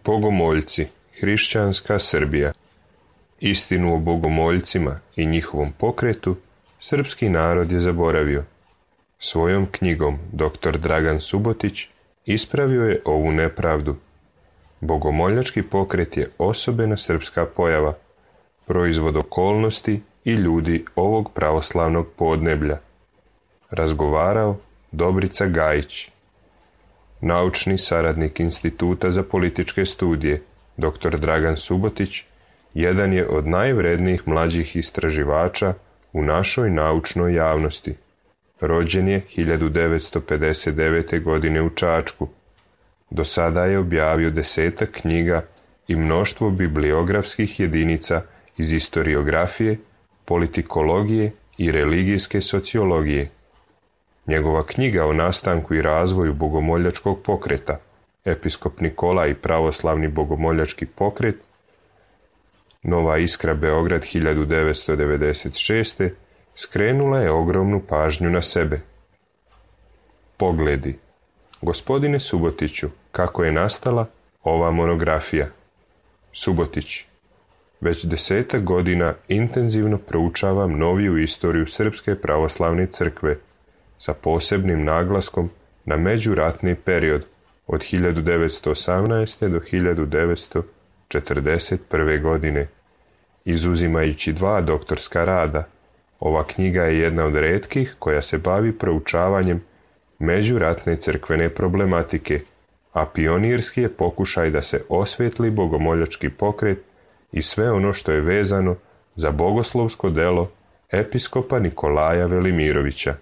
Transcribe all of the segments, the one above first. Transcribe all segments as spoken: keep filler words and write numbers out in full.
Bogomoljci, hrišćanska Srbija. Istinu o bogomoljcima i njihovom pokretu srpski narod je zaboravio. Svojom knjigom doktor Dragan Subotić ispravio je ovu nepravdu. Bogomoljački pokret je osobena srpska pojava, proizvod okolnosti i ljudi ovog pravoslavnog podneblja. Razgovarao Dobrica Gajić, naučni saradnik Instituta za političke studije. Doktor Dragan Subotić jedan je od najvrednijih mlađih istraživača u našoj naučnoj javnosti. Rođen je hiljadu devetsto pedeset devete. godine u Čačku. Do sada je objavio desetak knjiga i mnoštvo bibliografskih jedinica iz istoriografije, politikologije i religijske sociologije. Njegova knjiga o nastanku i razvoju bogomoljačkog pokreta, Episkop Nikolaj i pravoslavni bogomoljački pokret, Nova Iskra, Beograd, hiljadu devetsto devedeset šeste. skrenula je ogromnu pažnju na sebe. Pogledi. Gospodine Subotiću, kako je nastala ova monografija? Subotić. Već desetak godina intenzivno proučavam noviju istoriju Srpske pravoslavne crkve sa posebnim naglaskom na međuratni period od hiljadu devetsto osamnaeste. do hiljadu devetsto četrdeset prve. godine. Izuzimajući dva doktorska rada, ova knjiga je jedna od retkih koja se bavi proučavanjem međuratne crkvene problematike, a pionirski je pokušaj da se osvetli bogomoljački pokret i sve ono što je vezano za bogoslovsko delo episkopa Nikolaja Velimirovića.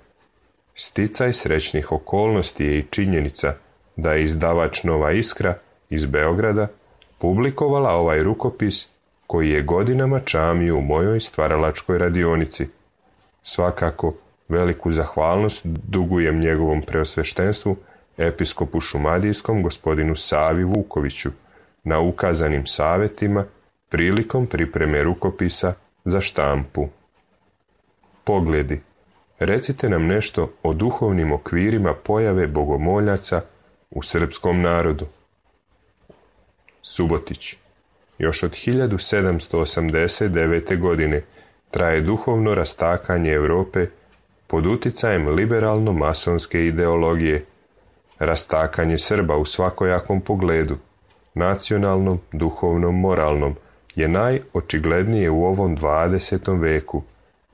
Sticaj srećnih okolnosti je i činjenica da je izdavač Nova Iskra iz Beograda publikovala ovaj rukopis koji je godinama čamio u mojoj stvaralačkoj radionici. Svakako, veliku zahvalnost dugujem njegovom preosveštenstvu, episkopu šumadijskom gospodinu Savi Vukoviću, na ukazanim savjetima prilikom pripreme rukopisa za štampu. Pogledi. Recite nam nešto o duhovnim okvirima pojave bogomoljaca u srpskom narodu. Subotić. Još od hiljadu sedamsto osamdeset devete. godine traje duhovno rastakanje Europe pod uticajem liberalno-masonske ideologije. Rastakanje Srba u svakojakom pogledu, nacionalnom, duhovnom, moralnom, je najočiglednije u ovom dvadesetom veku,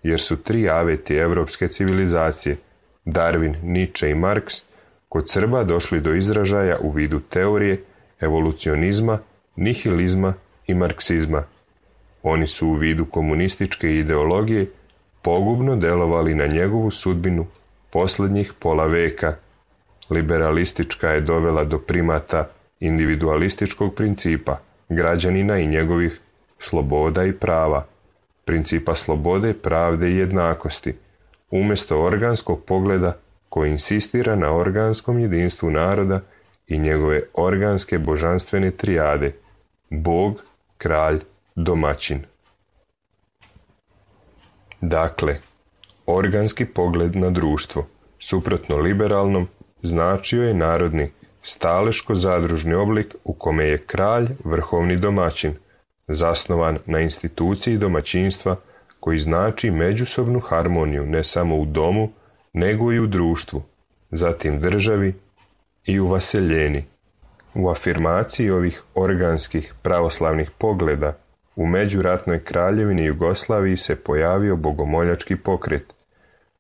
jer su tri aveti evropske civilizacije, Darwin, Nietzsche i Marks, kod Srba došli do izražaja u vidu teorije, evolucionizma, nihilizma i marksizma. Oni su u vidu komunističke ideologije pogubno delovali na njegovu sudbinu posljednjih pola veka. Liberalistička je dovela do primata individualističkog principa, građanina i njegovih sloboda i prava, principa slobode, pravde i jednakosti, umjesto organskog pogleda koji insistira na organskom jedinstvu naroda i njegove organske božanstvene trijade, Bog, kralj, domaćin. Dakle, organski pogled na društvo, suprotno liberalnom, značio je narodni, staleško-zadružni oblik u kome je kralj vrhovni domaćin, zasnovan na instituciji domaćinstva koji znači međusobnu harmoniju ne samo u domu, nego i u društvu, zatim državi i u vaseljeni. U afirmaciji ovih organskih pravoslavnih pogleda u međuratnoj kraljevini Jugoslaviji se pojavio bogomoljački pokret,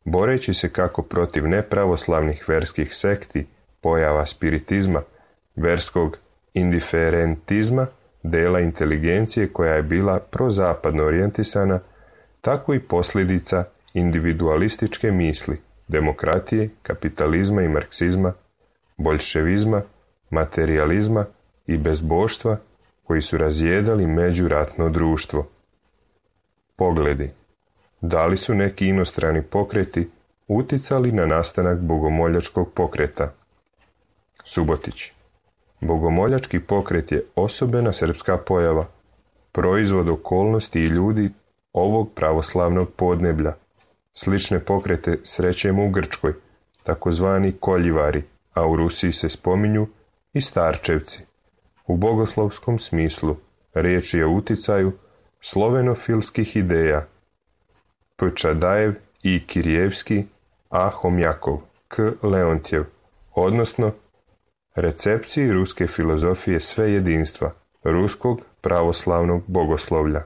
boreći se kako protiv nepravoslavnih verskih sekti, pojava spiritizma, verskog indiferentizma, dela inteligencije koja je bila prozapadno orijentisana, tako i posljedica individualističke misli, demokratije, kapitalizma i marksizma, boljševizma, materijalizma i bezboštva koji su razjedali međuratno društvo. Pogledi. Da li su neki inostrani pokreti uticali na nastanak bogomoljačkog pokreta? Subotić. Bogomoljački pokret je osobena srpska pojava, proizvod okolnosti i ljudi ovog pravoslavnog podneblja. Slične pokrete srećemo u Grčkoj, takozvani koljivari, a u Rusiji se spominju i starčevci. U bogoslovskom smislu riječ je o uticaju slovenofilskih ideja P. Čadajev i Kirjevski, A. Homjakov, K. Leontjev, odnosno recepciji ruske filozofije sve jedinstva, ruskog pravoslavnog bogoslovlja.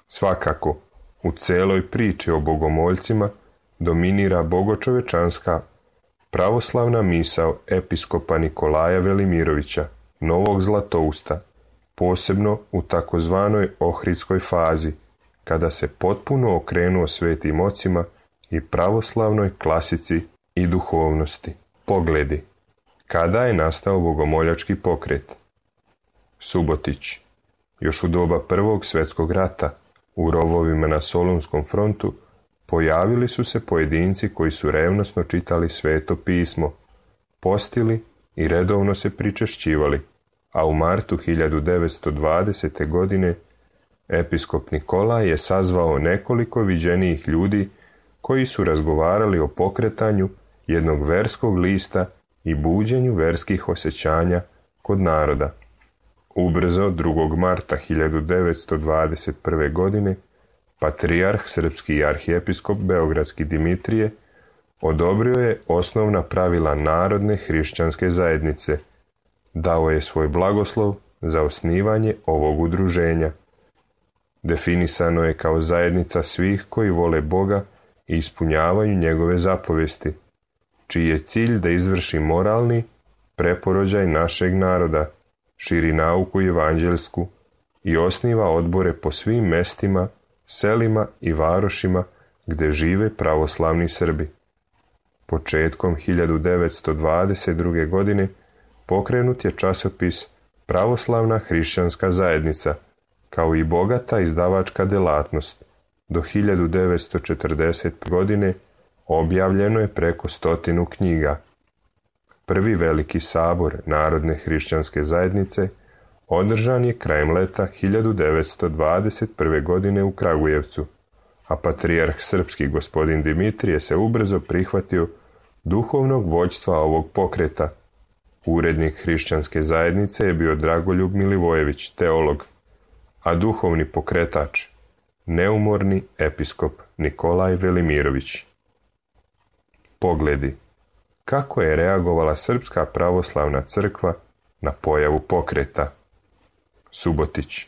Svakako, u celoj priči o bogomoljcima dominira bogočovečanska pravoslavna misao episkopa Nikolaja Velimirovića, Novog Zlatousta, posebno u takozvanoj ohridskoj fazi, kada se potpuno okrenuo svetim ocima i pravoslavnoj klasici i duhovnosti. Pogledi. Kada je nastao bogomoljački pokret? Subotić. Još u doba Prvog svjetskog rata, u rovovima na Solunskom frontu, pojavili su se pojedinci koji su revnosno čitali Sveto pismo, postili i redovno se pričešćivali, a u martu hiljadu devetsto dvadesete. godine episkop Nikolaj je sazvao nekoliko viđenijih ljudi koji su razgovarali o pokretanju jednog verskog lista i buđenju verskih osjećanja kod naroda. Ubrzo, drugog marta hiljadu devetsto dvadeset prve. godine, patrijarh srpski i arhijepiskop beogradski Dimitrije odobrio je osnovna pravila narodne hrišćanske zajednice. Dao je svoj blagoslov za osnivanje ovog udruženja. Definisano je kao zajednica svih koji vole Boga i ispunjavaju njegove zapovesti, čiji je cilj da izvrši moralni preporođaj našeg naroda, širi nauku evanđelsku i osniva odbore po svim mestima, selima i varošima gde žive pravoslavni Srbi. Početkom hiljadu devetsto dvadeset druge. godine pokrenut je časopis Pravoslavna hrišćanska zajednica, kao i bogata izdavačka delatnost. Do hiljadu devetsto četrdeset. godine objavljeno je preko stotinu knjiga. Prvi veliki sabor Narodne hrišćanske zajednice održan je krajem leta hiljadu devetsto dvadeset prve. godine u Kragujevcu, a patrijarh srpski gospodin Dimitrije se ubrzo prihvatio duhovnog vođstva ovog pokreta. Urednik hrišćanske zajednice je bio Dragoljub Milivojević, teolog, a duhovni pokretač neumorni episkop Nikolaj Velimirović. Pogledi. Kako je reagovala Srpska pravoslavna crkva na pojavu pokreta? Subotić.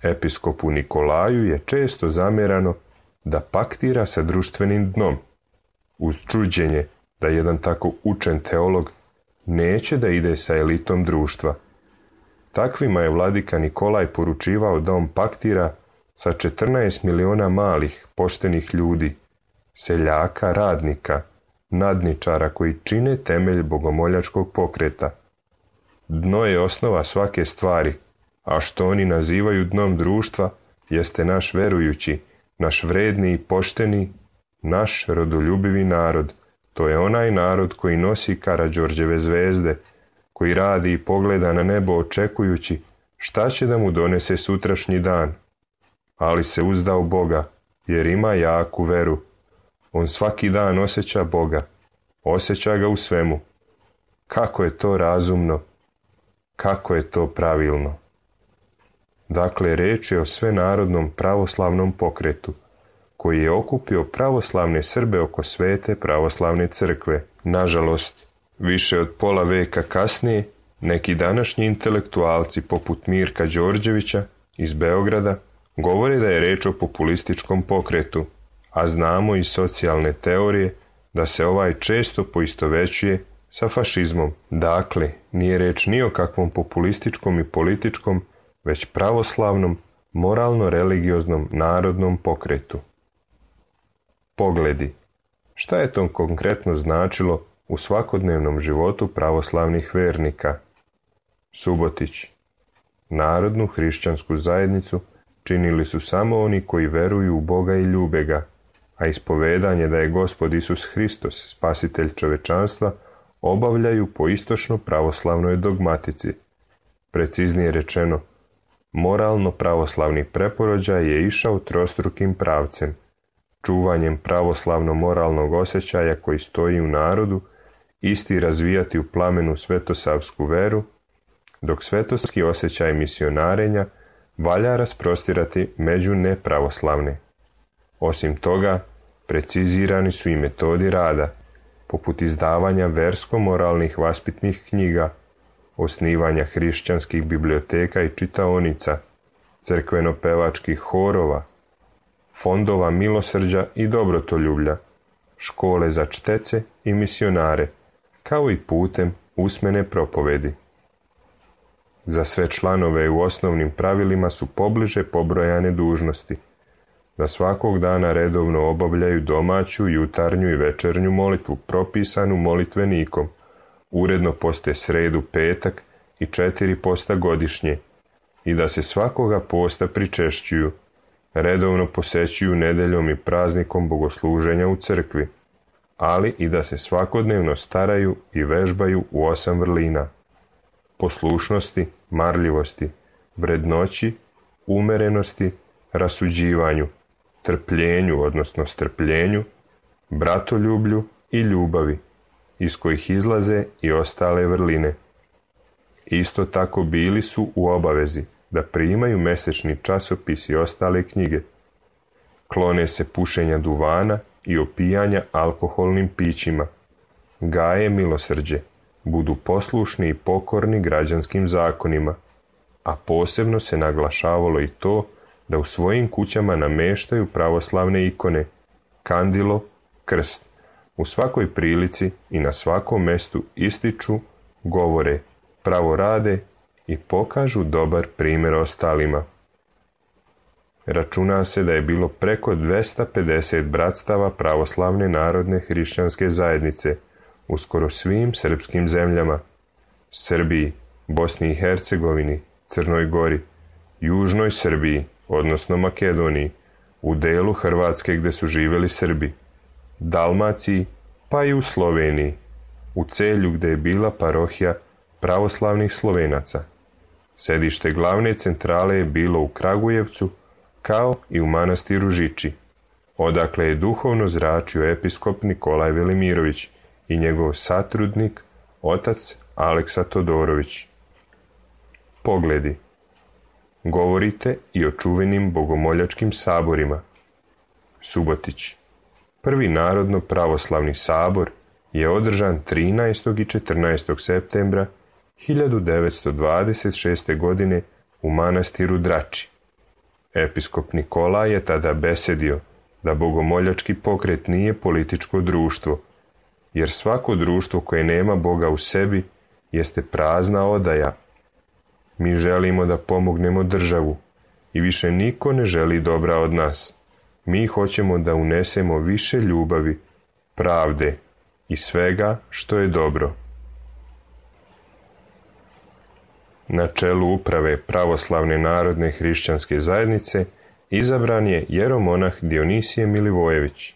Episkopu Nikolaju je često zamjerano da paktira sa društvenim dnom, uz čuđenje da jedan tako učen teolog neće da ide sa elitom društva. Takvima je vladika Nikolaj poručivao da on paktira sa četrnaest miliona malih, poštenih ljudi, seljaka, radnika, nadničara koji čine temelj bogomoljačkog pokreta. Dno je osnova svake stvari, a što oni nazivaju dnom društva jeste naš verujući, naš vredni i pošteni, naš rodoljubivi narod. To je onaj narod koji nosi Karađorđeve zvezde, koji radi i pogleda na nebo očekujući šta će da mu donese sutrašnji dan. Ali se uzda u Boga, jer ima jaku veru. On svaki dan osjeća Boga, osjeća ga u svemu. Kako je to razumno, kako je to pravilno. Dakle, reč je o svenarodnom pravoslavnom pokretu, koji je okupio pravoslavne Srbe oko svete pravoslavne crkve. Nažalost, više od pola veka kasnije, neki današnji intelektualci poput Mirka Đorđevića iz Beograda govore da je reč o populističkom pokretu, a znamo iz socijalne teorije da se ovaj često poistovećuje sa fašizmom. Dakle, nije reč ni o kakvom populističkom i političkom, već pravoslavnom, moralno-religioznom narodnom pokretu. Pogledi. Šta je to konkretno značilo u svakodnevnom životu pravoslavnih vernika? Subotić. Narodnu hrišćansku zajednicu činili su samo oni koji veruju u Boga i ljube ga, a ispovedanje da je Gospod Isus Hristos, spasitelj čovečanstva, obavljaju po istočno pravoslavnoj dogmatici. Preciznije rečeno, moralno pravoslavni preporođaj je išao trostrukim pravcem, čuvanjem pravoslavno-moralnog osjećaja koji stoji u narodu, isti razvijati u plamenu svetosavsku veru, dok svetovski osjećaj misionarenja valja rasprostirati među nepravoslavne. Osim toga, precizirani su i metodi rada, poput izdavanja versko-moralnih vaspitnih knjiga, osnivanja hrišćanskih biblioteka i čitaonica, crkveno-pevačkih horova, fondova milosrđa i dobrotoljublja, škole za čtece i misionare, kao i putem usmene propovedi. Za sve članove u osnovnim pravilima su pobliže pobrojane dužnosti, da svakog dana redovno obavljaju domaću, jutarnju i večernju molitvu propisanu molitvenikom, uredno poste sredu, petak i četiri posta godišnje, i da se svakoga posta pričešćuju, redovno posećuju nedeljom i praznikom bogosluženja u crkvi, ali i da se svakodnevno staraju i vežbaju u osam vrlina: poslušnosti, marljivosti, vrednoći, umerenosti, rasuđivanju, trpljenju, odnosno strpljenju, bratoljublju i ljubavi, iz kojih izlaze i ostale vrline. Isto tako bili su u obavezi da primaju mesečni časopis i ostale knjige. Klone se pušenja duvana i opijanja alkoholnim pićima, gaje milosrđe, budu poslušni i pokorni građanskim zakonima, a posebno se naglašavalo i to da u svojim kućama nameštaju pravoslavne ikone, kandilo, krst, u svakoj prilici i na svakom mestu ističu, govore, pravo rade i pokažu dobar primjer ostalima. Računa se da je bilo preko dvesta pedeset bratstava pravoslavne narodne hrišćanske zajednice u skoro svim srpskim zemljama: Srbiji, Bosni i Hercegovini, Crnoj Gori, Južnoj Srbiji, odnosno Makedoniji, u delu Hrvatske gde su živjeli Srbi, Dalmaciji, pa i u Sloveniji, u Celju gde je bila parohija pravoslavnih Slovenaca. Sedište glavne centrale je bilo u Kragujevcu, kao i u manastiru Žiči, odakle je duhovno zračio episkop Nikolaj Velimirović i njegov satrudnik, otac Aleksa Todorović. Pogledi. Govorite i o čuvenim bogomoljačkim saborima. Subotić. Prvi narodno pravoslavni sabor je održan trinaestog i četrnaestog septembra hiljadu devetsto dvadeset šeste. godine u manastiru Drači. Episkop Nikolaj je tada besedio da bogomoljački pokret nije političko društvo, jer svako društvo koje nema Boga u sebi jeste prazna odaja. Mi želimo da pomognemo državu i više niko ne želi dobra od nas. Mi hoćemo da unesemo više ljubavi, pravde i svega što je dobro. Na čelu uprave pravoslavne narodne hrišćanske zajednice izabran je jeromonah Dionisije Milivojević.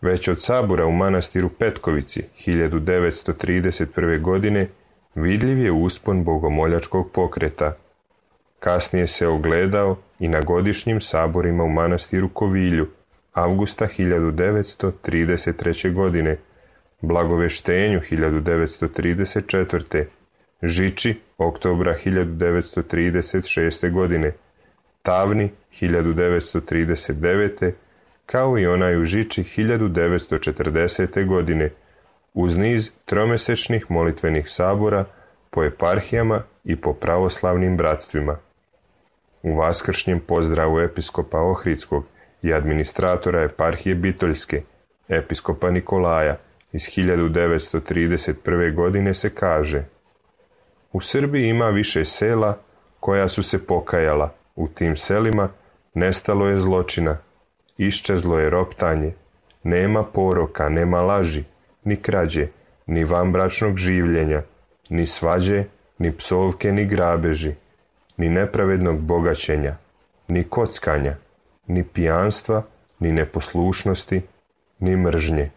Već od sabora u manastiru Petkovici hiljadu devetsto trideset prve. godine vidljiv je uspon bogomoljačkog pokreta. Kasnije se ogledao i na godišnjim saborima u manastiru Kovilju, avgusta hiljadu devetsto trideset treće. godine, Blagoveštenju hiljadu devetsto trideset četvrte. Žiči, oktobra hiljadu devetsto trideset šeste. godine, Tavni hiljadu devetsto trideset devete. kao i onaj u Žiči hiljadu devetsto četrdesete. godine, uz niz tromesečnih molitvenih sabora po eparhijama i po pravoslavnim bratstvima. U vaskršnjem pozdravu episkopa Ohridskog i administratora eparhije Bitoljske, episkopa Nikolaja, iz hiljadu devetsto trideset prve. godine se kaže: u Srbiji ima više sela koja su se pokajala, u tim selima nestalo je zločina, iščezlo je roptanje, nema poroka, nema laži, ni krađe, ni vanbračnog življenja, ni svađe, ni psovke, ni grabeži, ni nepravednog bogaćenja, ni kockanja, ni pijanstva, ni neposlušnosti, ni mržnje.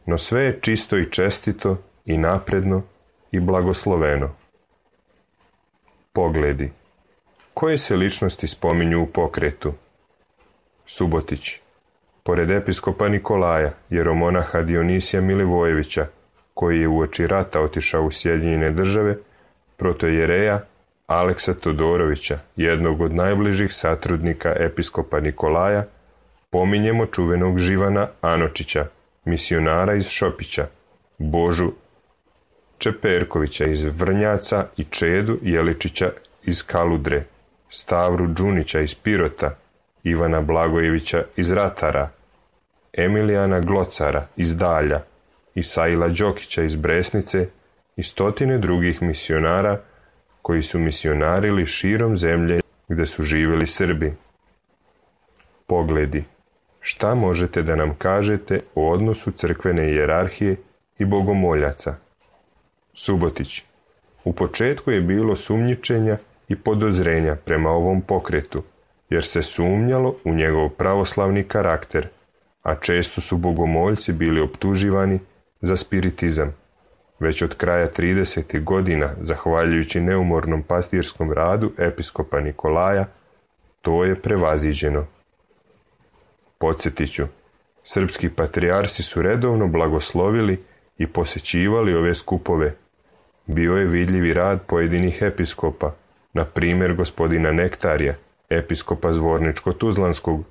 No sve je čisto i čestito i napredno i blagosloveno. Pogledi. Koje se ličnosti spominju u pokretu? Subotić. Pored episkopa Nikolaja, jeromonaha Dionisija Milivojevića, koji je uoči rata otišao u Sjedinjene Države, protojereja Aleksa Todorovića, jednog od najbližih satrudnika episkopa Nikolaja, pominjemo čuvenog Živana Anočića, misionara iz Šopića, Božu Čeperkovića iz Vrnjaca i Čedu Jeličića iz Kaludre, Stavru Đunića iz Pirota, Ivana Blagojevića iz Ratara, Emilijana Glocara iz Dalja, Isaila Đokića iz Bresnice i stotine drugih misionara koji su misionarili širom zemlje gdje su živjeli Srbi. Pogledi. Šta možete da nam kažete o odnosu crkvene hijerarhije i bogomoljaca? Subotić. U početku je bilo sumnjičenja i podozrenja prema ovom pokretu, jer se sumnjalo u njegov pravoslavni karakter, a često su bogomoljci bili optuživani za spiritizam. Već od kraja tridesetih godina, zahvaljujući neumornom pastirskom radu episkopa Nikolaja, to je prevaziđeno. Podsjetit ću, srpski patrijarsi su redovno blagoslovili i posećivali ove skupove. Bio je vidljivi rad pojedinih episkopa, na primjer gospodina Nektarija, episkopa Zvorničko-Tuzlanskog,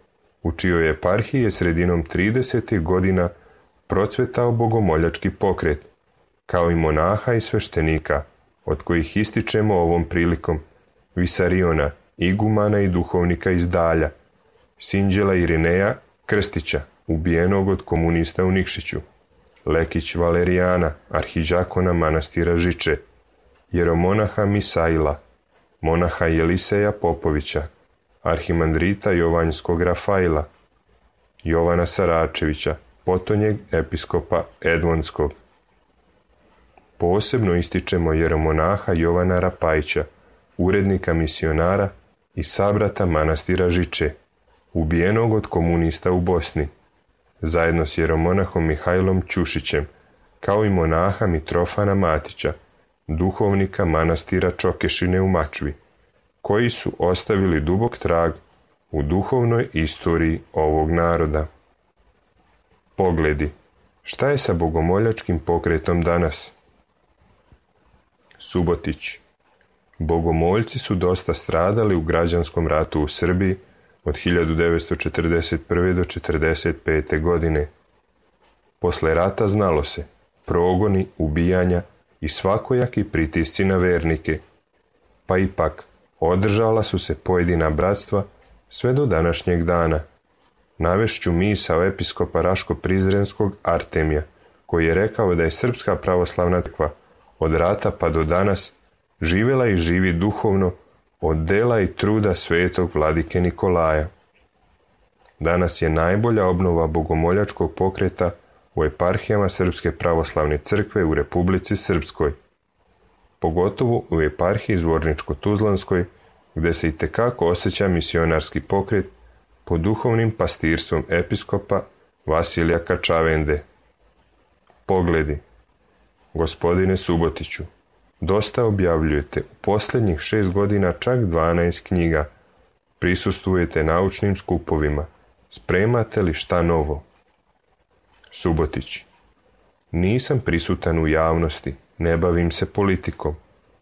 u čijoj eparhiji je sredinom tridesetih godina procvetao bogomoljački pokret, kao i monaha i sveštenika, od kojih ističemo ovom prilikom Visariona, igumana i duhovnika iz Dalja, Sinđela Irineja Krstića, ubijenog od komunista u Nikšiću, Lekić Valerijana, arhidžakona manastira Žiče, jeromonaha Misaila, monaha Jeliseja Popovića, arhimandrita Jovanjskog Rafaila, Jovana Saračevića, potonjeg episkopa Edmonskog. Posebno ističemo jeromonaha Jovana Rapajića, urednika misionara i sabrata manastira Žiče, ubijenog od komunista u Bosni, zajedno s jeromonahom Mihajlom Ćušićem, kao i monaha Mitrofana Matića, duhovnika manastira Čokešine u Mačvi, koji su ostavili dubok trag u duhovnoj istoriji ovog naroda. Pogledi. Šta je sa bogomoljačkim pokretom danas? Subotić. Bogomoljci su dosta stradali u građanskom ratu u Srbiji od hiljadu devetsto četrdeset prve do četrdeset pete godine. Posle rata znalo se, progoni, ubijanja i svakojaki pritisci na vernike, pa ipak održala su se pojedina bratstva sve do današnjeg dana. Navešću misao episkopa Raško-Prizrenskog Artemija, koji je rekao da je Srpska pravoslavna crkva od rata pa do danas živjela i živi duhovno od dela i truda svetog vladike Nikolaja. Danas je najbolja obnova bogomoljačkog pokreta u eparhijama Srpske pravoslavne crkve u Republici Srpskoj, pogotovo u eparhiji Zvorničko-Tuzlanskoj, gdje se itekako osjeća misionarski pokret pod duhovnim pastirstvom episkopa Vasilija Kačavende. Pogledi. Gospodine Subotiću, dosta objavljujete, u posljednjih šest godina čak dvanaest knjiga, prisustvujete naučnim skupovima, spremate li šta novo? Subotić. Nisam prisutan u javnosti, ne bavim se politikom,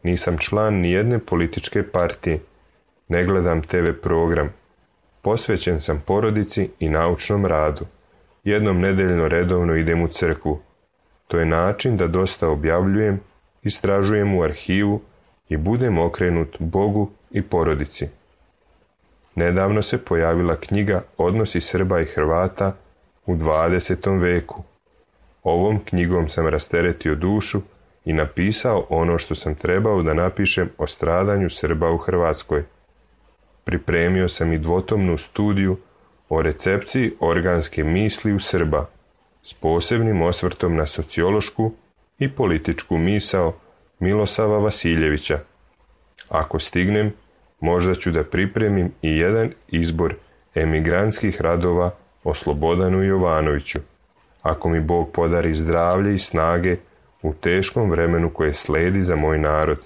nisam član nijedne političke partije, ne gledam te ve program, posvećen sam porodici i naučnom radu, jednom nedeljno redovno idem u crkvu. To je način da dosta objavljujem, istražujem u arhivu i budem okrenut Bogu i porodici. Nedavno se pojavila knjiga Odnosi Srba i Hrvata u dvadesetom veku. Ovom knjigom sam rasteretio dušu i napisao ono što sam trebao da napišem o stradanju Srba u Hrvatskoj. Pripremio sam i dvotomnu studiju o recepciji organske misli u Srba, s posebnim osvrtom na sociološku i političku misao Milosava Vasiljevića. Ako stignem, možda ću da pripremim i jedan izbor emigrantskih radova o Slobodanu Jovanoviću, ako mi Bog podari zdravlje i snage u teškom vremenu koje sledi za moj narod.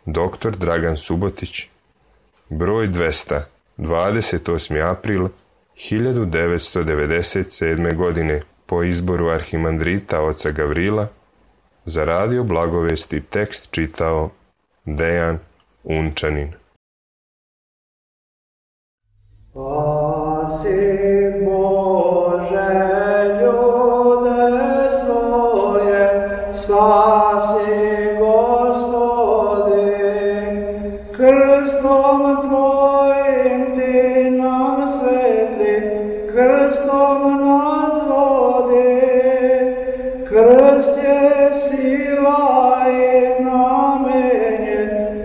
Doktor Dragan Subotić, broj dvesta, dvadeset osmi april hiljadu devetsto devedeset sedme. godine, po izboru arhimandrita oca Gavrila, za radio Blagovesti tekst čitao Dejan Unčanin. Spasi Bože ljude svoje, spasi Gospodi, krstom Tvojim Ti nam svetli, krstom nas vodi, krst je sila i znamenje,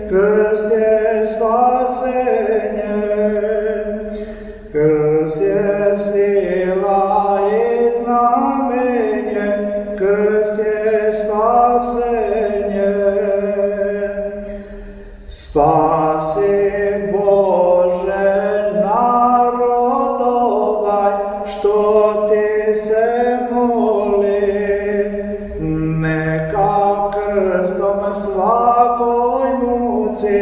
krst je spasenje. Krst je sila i znamenje, krst je spasenje. Spasi Bože narod ovaj, što Ti se moli, neka krstom svakoj muci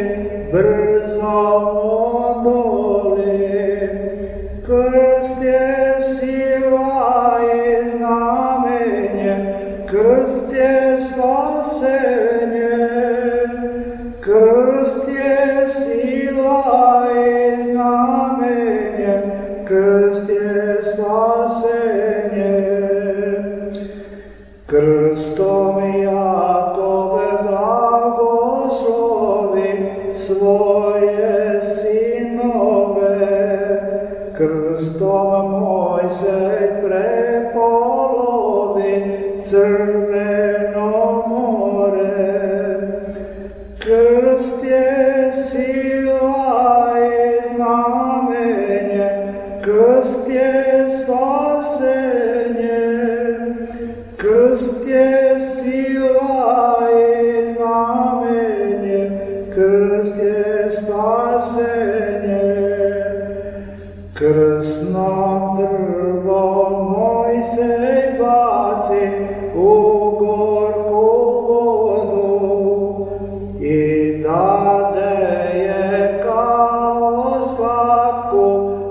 brzo odoli. Krst je sila i znamenje, krst je spasenje. Krst je sila i znamenje, krst je spasenje. Krstom Jakove blagoslovi svoje sinove, krstom Mojsej prepolovi Crveno more. Krst je sila i znamenje, krst je spasenje. Krst je sila i znamenje, krst je spasenje. Krsno drvo Mojsej baci u gorku vodu i dade je kao slatku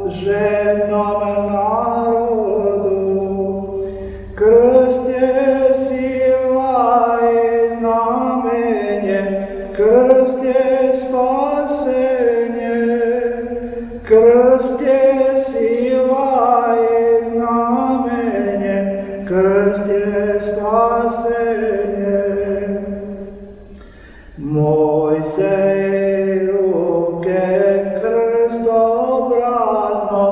žednom narodu. Krst je sila i znamenje, krst je spasenje. Krst je sila i znamenje, krst je spasenje. Mojsej ruke krstobrazno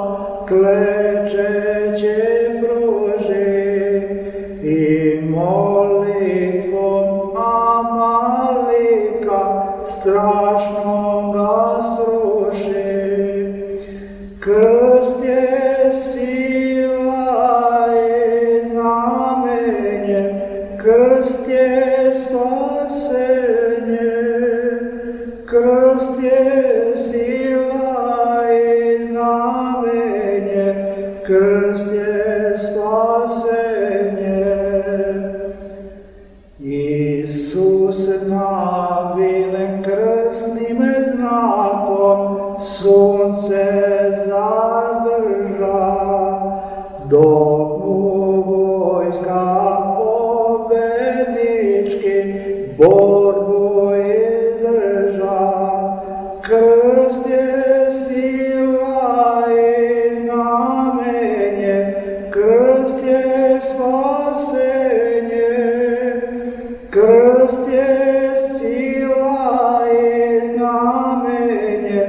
klečeće pruži i molitvom Amalika strašno ga sruši. Krst je sila i znamenje, krst je spasenje. Krst je sila i znamenje, krst je spasenje. Isus navilen krstnim znakom sunce zadrža, dok mu vojska pobednički borbu izdrža. Krst je sila i znamenje, krst je spasenje. Krst je sila i znamenje,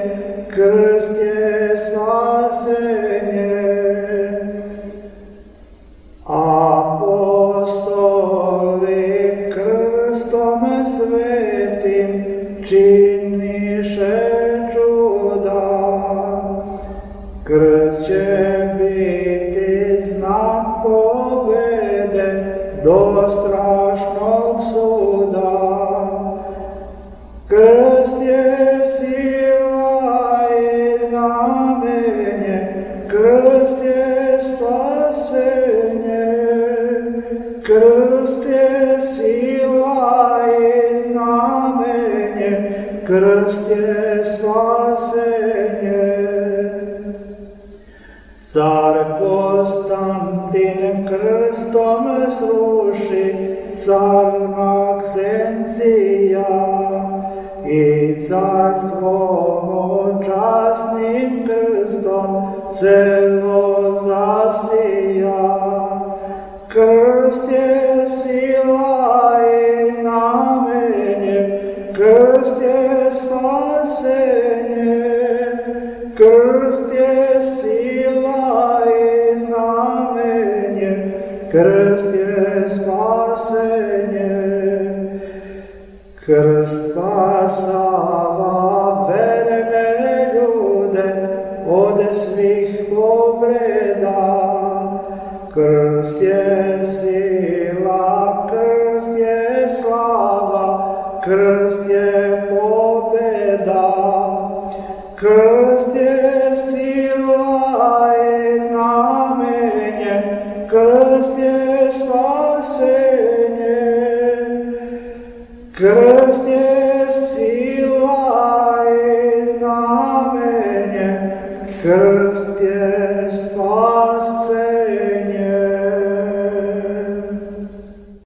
krst je spasenje. Apostoli krstom svetim činiše čuda. Krst će biti znak pobede do strašnog suda. Krst je sila i znamenje, krst je spasenje. Krst je sila i znamenje, krst je spasenje. Car Konstantin krstom sruši car Maksencija i carstvom časnim krstom celo zasija. Krst je sila i znamenje, krst je spasenje. Krst je sila i znamenje, krst je spasenje. Krst spasava verne ljude od svih povreda. Krst je sila, krst je slava, krst je pobjeda. Krst je sila i znamenje, krst je spasenje. Krst je sila i znamenje, krst je spasenje.